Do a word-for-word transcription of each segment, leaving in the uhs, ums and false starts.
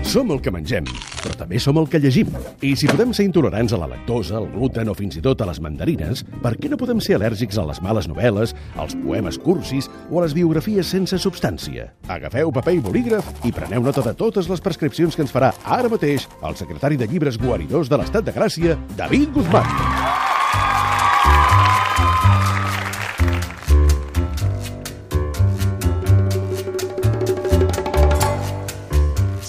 Som el que mengem, però també som el que llegim. I si podem ser intolerants a la lactosa, al gluten o fins i tot a les mandarines, per què no podem ser al·lèrgics a les males novel·les, als poemes cursis o a les biografies sense substància? Agafeu paper i bolígraf i preneu nota de totes les prescripcions que ens farà ara mateix el secretari de Llibres Guaridors de l'Estat de Gràcia, David Guzmán.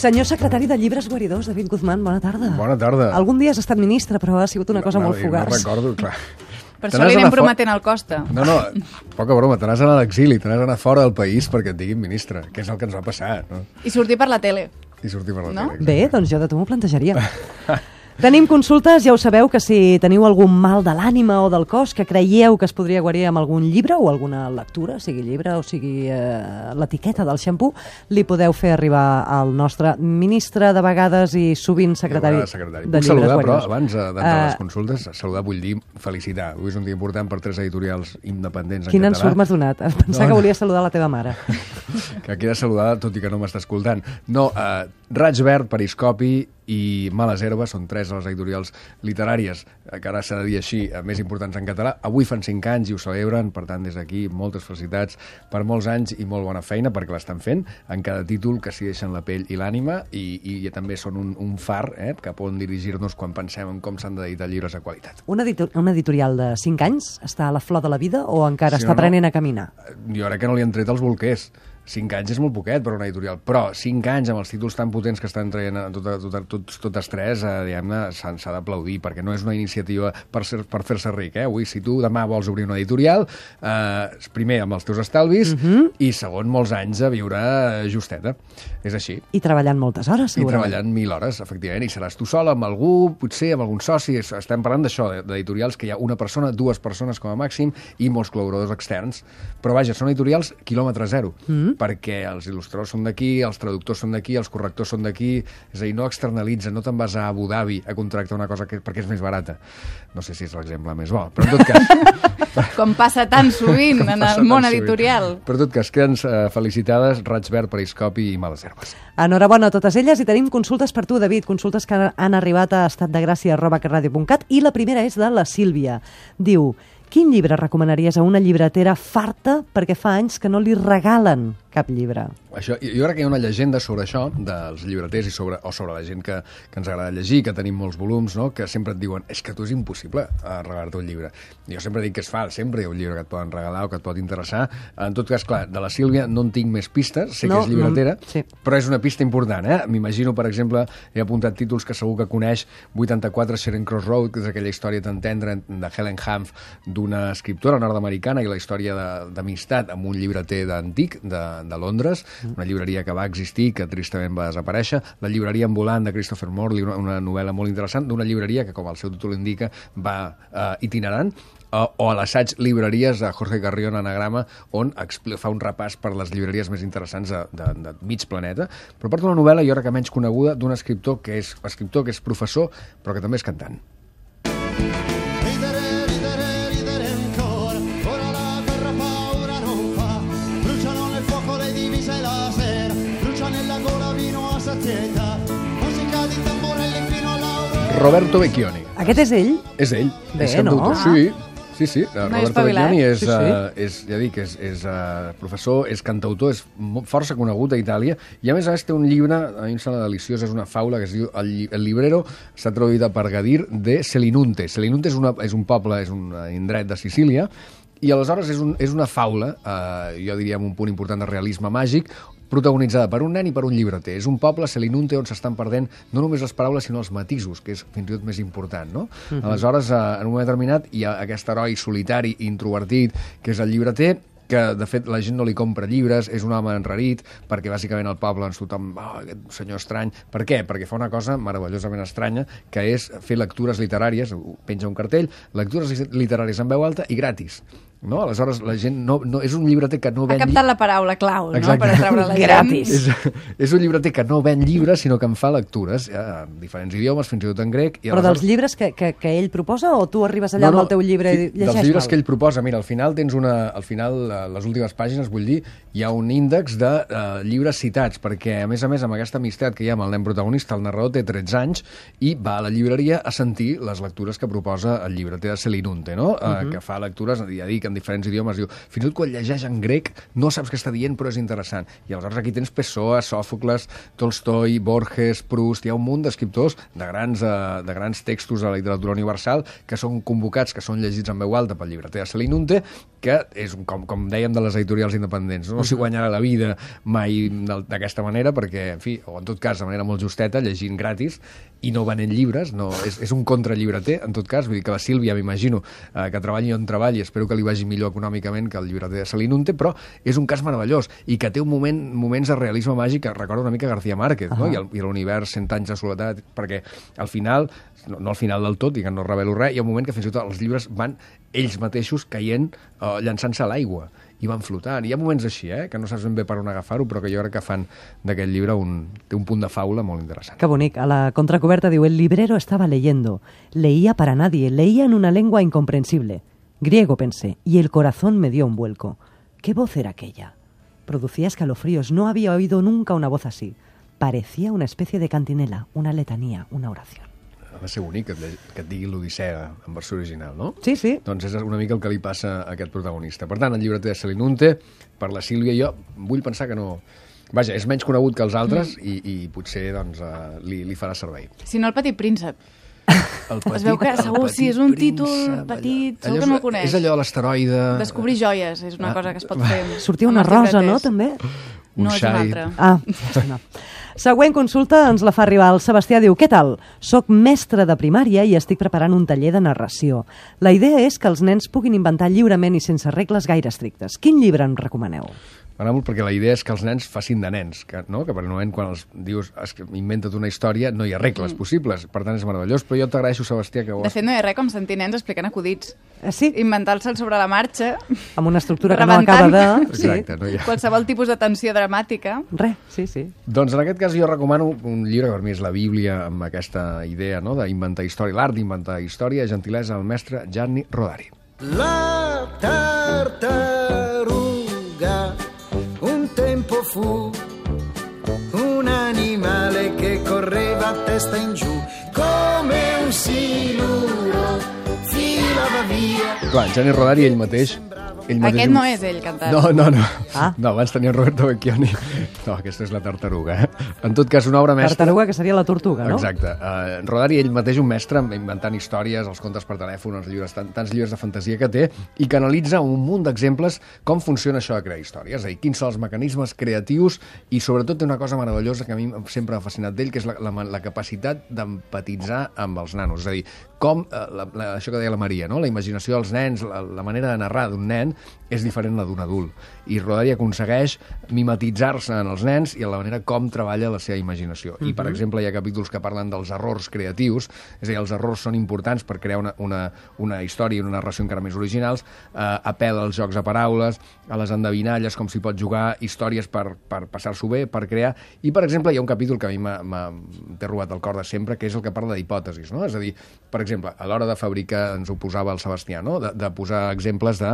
Senyor secretari de Llibres Guaridors, David Guzmán, bona tarda. Bona tarda. Algun dia has estat ministre, però ha sigut una cosa no, molt no, fugaç. No recordo, clar. Per això li anem prometent al Costa. No, no, poca broma, te n'has anat a l'exili, te n'has anat fora del país perquè et diguin ministre, que és el que ens va passar. No? I sortir per la tele. I sortir per la no? tele. Bé, doncs jo de tu m'ho plantejaria. Tenim consultes, ja ho sabeu, que si teniu algun mal de l'ànima o del cos que creieu que es podria guarir amb algun llibre o alguna lectura, sigui llibre o sigui eh, l'etiqueta del xampú, li podeu fer arribar al nostre ministre de vegades i sovint secretari de, secretari. de Llibres saludar, Guaridors. Però abans d'entrar uh, a les consultes, saludar vull dir felicitar. Avui és un dia important per tres editorials independents en Quin català. Quin ensurt m'has donat? Pensava no, que volia saludar la teva mare. Que queda saludada, tot i que no m'està escoltant. No, uh, Raig Verd, Periscopi i Males Herbes són tres de les editorials literàries, que ara s'ha de dir així, més importants en català. Avui fan cinc anys i ho celebren, per tant, des d'aquí, moltes felicitats per molts anys i molt bona feina, perquè l'estan fent en cada títol que s'hi deixen la pell i l'ànima, i, i també són un, un far eh, cap on dirigir-nos quan pensem en com s'han d'editar llibres de qualitat. Una, editor una editorial de cinc anys està a la flor de la vida o encara sí, està no, aprenent a caminar? Jo crec que no li han tret els bolquers. Cinc anys és molt poquet per una editorial, però cinc anys amb els títols tan potents que estan traient totes, totes, totes, totes tres, eh, diguem-ne, s'ha d'aplaudir, perquè no és una iniciativa per, ser, per fer-se ric. Eh? Avui, si tu demà vols obrir una editorial, eh, primer amb els teus estalvis uh -huh. i segon, molts anys a viure justeta. És així. I treballant moltes hores, segurament. I treballant mil hores, efectivament, i seràs tu sola amb algú, potser amb algun soci. Estem parlant d'això, d'editorials que hi ha una persona, dues persones com a màxim i molts col·laboradors externs. Però vaja, són editorials quilòmetre zero. Uh -huh. perquè els il·lustradors són d'aquí, els traductors són d'aquí, els correctors són d'aquí, és a dir, no externalitza, no te'n vas a Abu Dhabi a contractar una cosa que, perquè és més barata. No sé si és l'exemple més bo, però en tot cas... Com passa tan sovint en el món editorial. Però en tot cas, queden uh, felicitades Raig Verd, Periscopi i Males Herbes. Enhorabona a totes elles i tenim consultes per tu, David, consultes que han arribat a estatdegràcia arroba catradio punt cat i la primera és de la Sílvia. Diu: quin llibre recomanaries a una llibretera farta perquè fa anys que no li regalen cap llibre? Això, jo crec que hi ha una llegenda sobre això, dels llibreters i sobre, o sobre la gent que, que ens agrada llegir, que tenim molts volums, no? Que sempre et diuen és que tu és impossible regalar-te un llibre. Jo sempre dic que és fals, sempre hi ha un llibre que et poden regalar o que et pot interessar. En tot cas, clar, de la Sílvia no en tinc més pistes, sé no, que és llibretera, no, sí. Però és una pista important, eh? M'imagino, per exemple, he apuntat títols que segur que coneix, vuitanta-quatre Charing Cross Road, que és aquella història tan tendra de Helen Hanff, d'una escriptora nord-americana i la història d'amistat amb un llibreter d'antic, de, de Londres, una llibreria que va existir, que tristament va desaparèixer, la llibreria ambulant de Christopher Morley, una, una novel·la molt interessant, d'una llibreria que, com el seu títol indica, va uh, itinerant, uh, o a l'assaig Llibreries de Jorge Carrión Anagrama, on fa un repàs per les llibreries més interessants de, de, de mig planeta, però porta una novel·la, jo crec que menys coneguda, d'un escriptor que és escriptor, que és professor, però que també és cantant. Roberto Vecchioni. Aquest és ell? És ell. Bé, és no? Sí, sí, sí. No Roberto Vecchioni és, sí, sí. Uh, és, ja dic, és, és uh, professor, és cantautor, és força conegut a Itàlia, i a més a més té un llibre, a mi em sembla deliciós, és una faula que es diu El, el Librero, està traduïda per Gadir, de Selinunte. Selinunte és, una, és un poble, és un indret de Sicília, i aleshores és, un, és una faula, eh, jo diria amb un punt important de realisme màgic, protagonitzada per un nen i per un llibreter. És un poble, Selinunte, on s'estan perdent no només les paraules, sinó els matisos, que és fins i tot més important, no? Uh-huh. Aleshores, eh, en un moment determinat, hi ha aquest heroi solitari, introvertit, que és el llibreter, que de fet la gent no li compra llibres, és un home enrarit, perquè bàsicament al poble ens tothom, oh, aquest senyor estrany. Per què? Perquè fa una cosa meravellosament estranya, que és fer lectures literàries, penja un cartell, lectures literàries en veu alta i gratis. no? Aleshores, la gent no, no, és un llibreter que no Ha ven... captat la paraula clau, no?, Exacte. per atraure la gent. Gratis. És, és un llibreter que no ven llibres, sinó que en fa lectures, ja, en diferents idiomes, fins i tot en grec. I Però aleshores... dels llibres que, que, que ell proposa o tu arribes allà no, no, amb el teu llibre i llegeix-me'l? Dels llibres que ell proposa. Mira, al final tens una... Al final, a les últimes pàgines, vull dir, hi ha un índex de uh, llibres citats, perquè, a més a més, amb aquesta amistat que hi ha amb el nen protagonista, el narrador té tretze anys i va a la llibreria a sentir les lectures que proposa el llibreter de Selinunte, no? Uh, uh-huh. Que fa lectures, ja dic, en diferents idiomes. Diu, fins i tot quan llegeix en grec no saps què està dient, però és interessant. I aleshores aquí tens Pessoa, Sòfocles, Tolstoi, Borges, Proust, hi ha un munt d'escriptors de grans, uh, de grans textos de la literatura universal que són convocats, que són llegits en veu alta pel llibreter de Selinunte, que és, com, com dèiem, de les editorials independents. No s'hi guanyarà la vida mai d'aquesta manera, perquè, en fi, o en tot cas, de manera molt justeta, llegint gratis i no venent llibres, no, és, és un contrallibreter, en tot cas, vull dir que la Sílvia, m'imagino, eh, que treballi on treballi, espero que li vagi millor econòmicament que el llibreter de Selinunte, però és un cas meravellós i que té un moment, moments de realisme màgic que recorda una mica García Márquez, uh -huh. no? I, el, i l'univers Cent anys de soledat, perquè al final, no, no al final del tot, i que no revelo res, hi ha un moment que fins i tot els llibres van ells mateixos caient, eh, llançant-se a l'aigua i van flotant. Hi ha moments així, eh, que no saps ben bé per on agafar-ho, però que jo crec que fan d'aquest llibre un, té un punt de faula molt interessant. Que bonic. A la contracoberta diu: el librero estaba leyendo. Leía para nadie. Leía en una lengua incomprensible. Griego, pensé, y el corazón me dio un vuelco. ¿Qué voz era aquella? Producía escalofríos. No había oído nunca una voz así. Parecía una especie de cantinela, una letanía, una oración. Ha de ser bonic que et, que et digui l'Odissea en versió original, no? Sí, sí. Doncs és una mica el que li passa a aquest protagonista. Per tant, el llibreter de Selinunte, per la Sílvia, jo vull pensar que no... Vaja, és menys conegut que els altres mm. i, i potser doncs, uh, li, li farà servei. Si no, el Petit Príncep. El petit, es veu que segur, si és un títol príncep, petit, allò, segur que no el coneix. És allò de l'asteroide... Descobrir joies és una ah. cosa que es pot fer. Sortia una rosa, no, també? No, és una altra. Ah, no. Següent consulta ens la fa arribar el Sebastià. Diu: què tal? Soc mestre de primària i estic preparant un taller de narració. La idea és que els nens puguin inventar lliurement i sense regles gaire estrictes. Quin llibre em recomaneu? M'agrada molt perquè la idea és que els nens facin de nens, que, no? que per un moment quan els dius es, inventa't una història no hi ha regles mm. possibles, per tant és meravellós, però jo t'agraeixo, Sebastià, que ho has... De fet no hi ha res com sentir nens explicant acudits. Eh, sí? Inventar-se'l sobre la marxa. Amb una estructura que no acaba de... Exacte, no hi ha... Qualsevol tipus de tensió dramàtica. Res, sí, sí. Doncs en aquest cas jo recomano un llibre que per mi és la Bíblia amb aquesta idea, no?, d'inventar història, l'art d'inventar història, gentilesa del mestre Gianni Rodari. La tartaruga un tempo fu un animale che correva a testa in giù come un siluro filava via. Clar, Gianni Rodari ell mateix... Ell mateix Aquest un... no és ell cantant. No, no, no. Ah. No, abans tenia Roberto Vecchioni. No, aquesta és la tartaruga. Eh? En tot cas, una obra mestra... Tartaruga, que seria la tortuga, no? Exacte. Uh, Rodari, ell mateix un mestre inventant històries, els contes per telèfon, els llibres, tant, tants llibres de fantasia que té, i que analitza un munt d'exemples com funciona això de crear històries. És a dir, quins són els mecanismes creatius i sobretot té una cosa meravellosa que a mi sempre m'ha fascinat d'ell, que és la, la, la capacitat d'empatitzar amb els nanos. És a dir, com, uh, la, la, això que deia la Maria, no? La imaginació dels nens, la, la manera de narrar d'un nen és diferent a la d'un adult. I Rodari aconsegueix mimetitzar-se en els nens i en la manera com treballa la seva imaginació. Uh-huh. I, per exemple, hi ha capítols que parlen dels errors creatius, és a dir, els errors són importants per crear una, una, una història i una narració encara més originals, eh, apel·la als jocs de paraules, a les endevinalles, com s'hi pot jugar, històries per, per passar-s'ho bé, per crear... I, per exemple, hi ha un capítol que a mi m'ha robat el cor de sempre, que és el que parla d'hipòtesis, no? És a dir, per exemple, a l'hora de fabricar, ens ho posava el Sebastià, no? de, de posar exemples de,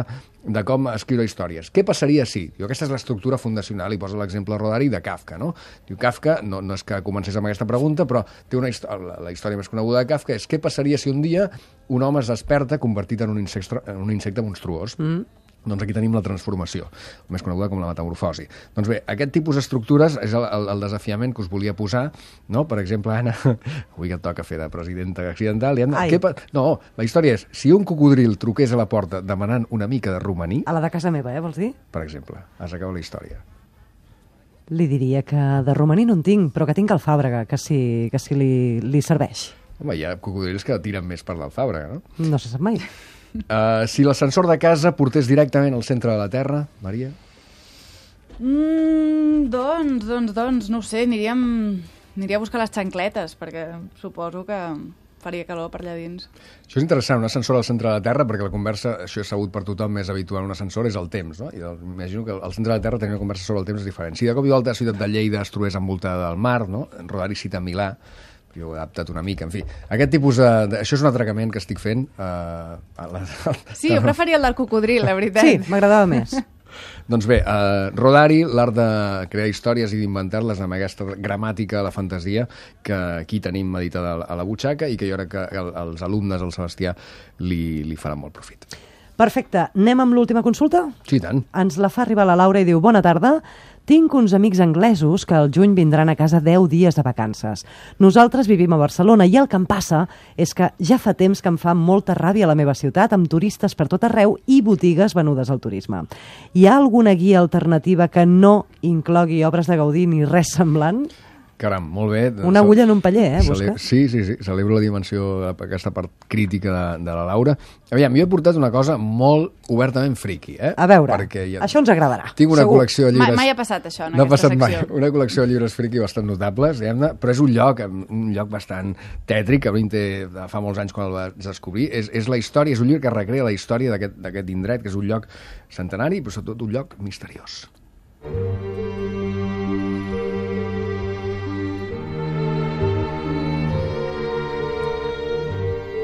de com escriure històries. Què passaria si? Diu, aquesta és l'estructura fundacional, i posa l'exemple Rodari de Kafka, no? Diu, Kafka, no, no és que comencés amb aquesta pregunta, però té una la, la història més coneguda de Kafka és què passaria si un dia un home es desperta convertit en un insecte, en un insecte monstruós. Mm. Doncs aquí tenim la transformació, més coneguda com la metamorfosi. Doncs bé, aquest tipus d'estructures és el, el, el desafiament que us volia posar, no? Per exemple, Anna, avui que et toca fer de presidenta accidental, i Anna, què pa... no, la història és, si un cocodril truqués a la porta demanant una mica de romaní... A la de casa meva, eh, vols dir? Per exemple, has acabat la història. Li diria que de romaní no en tinc, però que tinc alfàbrega, que si, que si li, li serveix. Home, hi ha cocodrils que tiren més per l'alfàbrega, no? No se sap mai. Uh, si l'ascensor de casa portés directament al centre de la Terra, Maria? Mm, doncs, doncs, doncs, no ho sé, aniríem, aniria a buscar les xancletes, perquè suposo que faria calor per allà dins. Això és interessant, un ascensor al centre de la Terra, perquè la conversa, això és sabut per tothom, més habitual en un ascensor, és el temps, no? I el, imagino que al centre de la Terra tenir una conversa sobre el temps és diferent. Si de cop i volta la ciutat de Lleida es trobés envoltada del mar, no? Rodari cita Milà, jo ho he adaptat una mica, en fi. Aquest tipus de... de això és un atracament que estic fent. Uh, a la, Sí, jo preferia el del cocodril, la veritat. Sí, m'agradava més. Doncs bé, uh, Rodari, l'art de crear històries i d'inventar-les amb aquesta gramàtica de la fantasia que aquí tenim meditada a la butxaca i que jo crec que els alumnes del Sebastià li, li faran molt profit. Perfecte. Anem amb l'última consulta? Sí, tant. Ens la fa arribar la Laura i diu: bona tarda. Tinc uns amics anglesos que al juny vindran a casa deu dies de vacances. Nosaltres vivim a Barcelona i el que em passa és que ja fa temps que em fa molta ràbia a la meva ciutat, amb turistes per tot arreu i botigues venudes al turisme. Hi ha alguna guia alternativa que no inclogui obres de Gaudí ni res semblant? Caram, molt bé. Una agulla en un paller, eh, Cele... busques? Sí, sí, sí. Celebro la dimensió, aquesta part crítica de, de la Laura. Aviam, jo he portat una cosa molt obertament friqui, eh? A veure, Perquè ja... això ens agradarà. Tinc una segur. col·lecció de llibres... Mai, mai ha passat això en no aquesta ha passat secció. Mai. Una col·lecció de llibres friqui bastant notables, diguem-ne, però és un lloc, un lloc bastant tètric, que té fa molts anys quan el vaig descobrir. És, és la història, és un llibre que recrea la història d'aquest indret, que és un lloc centenari, però sobretot un lloc misteriós.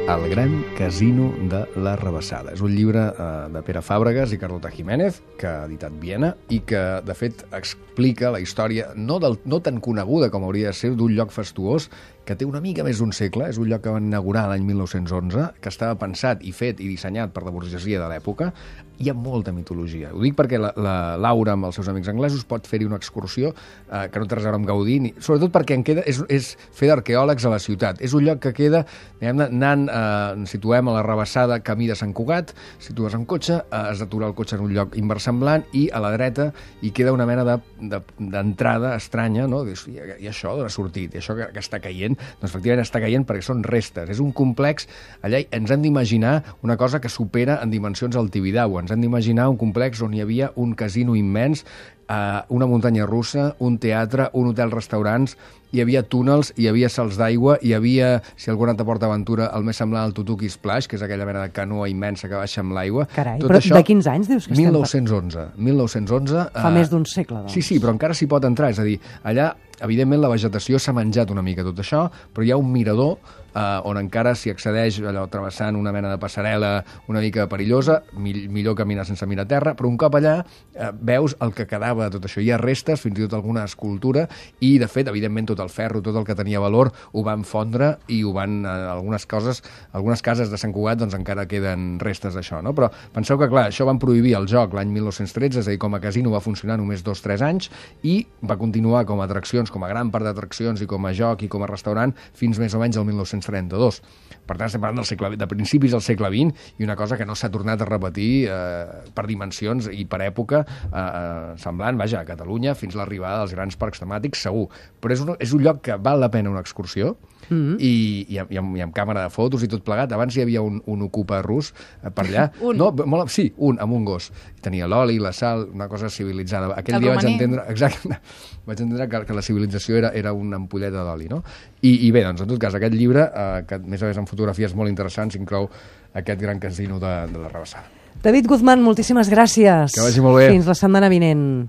El gran casino de la Rabassada. És un llibre eh, de Pere Fàbregas i Carlota Jiménez, que ha editat Viena, i que, de fet, explica la història no, del, no tan coneguda com hauria de ser d'un lloc fastuós, que té una mica més d'un segle. És un lloc que van inaugurar l'any mil nou-cents onze, que estava pensat i fet i dissenyat per la burgesia de l'època. Hi ha molta mitologia. Ho dic perquè la, la Laura, amb els seus amics anglesos, pot fer-hi una excursió eh, que no té res a veure amb Gaudí, ni, sobretot perquè en queda, és, és fer d'arqueòlegs a la ciutat. És un lloc que queda, diguem-ne, anant, eh, ens situem a la Rabassada, camí de Sant Cugat, situes en cotxe, eh, has d'aturar el cotxe en un lloc inversemblant i a la dreta hi queda una mena d'entrada de, de, estranya, no? I, i això d'on ha sortit? I això que, que està caient? Doncs efectivament està caient perquè són restes. És un complex, allà ens hem d'imaginar una cosa que supera en dimensions el Tibidabo. Ens hem d'imaginar un complex on hi havia un casino immens, eh, una muntanya russa, un teatre, un hotel-restaurants, hi havia túnels, hi havia salts d'aigua, hi havia, si algú ha anat a PortAventura, el més semblant al Tutuki Splash, que és aquella mena de canoa immensa que baixa amb l'aigua. Carai, Tot però això, de quins anys dius que estem? mil nou-cents onze. mil nou-cents onze. Fa eh, més d'un segle, doncs. Sí, sí, però encara s'hi pot entrar. És a dir, allà, evidentment, la vegetació s'ha menjat una mica tot això, però hi ha un mirador eh, on encara s'hi accedeix, allò, travessant una mena de passarel·la una mica perillosa, mi millor caminar sense mirar a terra, però un cop allà eh, veus el que quedava de tot això. Hi ha restes, fins i tot alguna escultura, i, de fet, evidentment, tot el ferro, tot el que tenia valor, ho van fondre i ho van... Eh, algunes coses, algunes cases de Sant Cugat, doncs encara queden restes d'això, no? Però penseu que, clar, això van prohibir el joc l'any mil nou-cents tretze, és a dir, com a casino va funcionar només dos o tres anys, i va continuar com a atraccions, com a gran part d'atraccions i com a joc i com a restaurant fins més o menys el mil nou-cents trenta-dos. Per tant, estem parlant del segle, de principis del segle vint i una cosa que no s'ha tornat a repetir eh, per dimensions i per època eh, semblant, vaja, a Catalunya fins a l'arribada dels grans parcs temàtics, segur. Però és un, és un lloc que val la pena una excursió, Mm-hmm. I, i, amb, i, amb, i amb càmera de fotos i tot plegat. Abans hi havia un, un ocupa rus eh, per allà. Un? No, molt, sí, un, amb un gos. Tenia l'oli, la sal, una cosa civilitzada. Aquell El dia romaní. vaig entendre, exacte, vaig entendre que, que la civilització era, era una ampolleta d'oli, no? I, I bé, doncs, en tot cas, aquest llibre, eh, que més a més amb fotografies molt interessants, inclou aquest gran casino de, de la Rabassada. David Guzmán, moltíssimes gràcies. Que vagi molt bé. Fins la setmana vinent.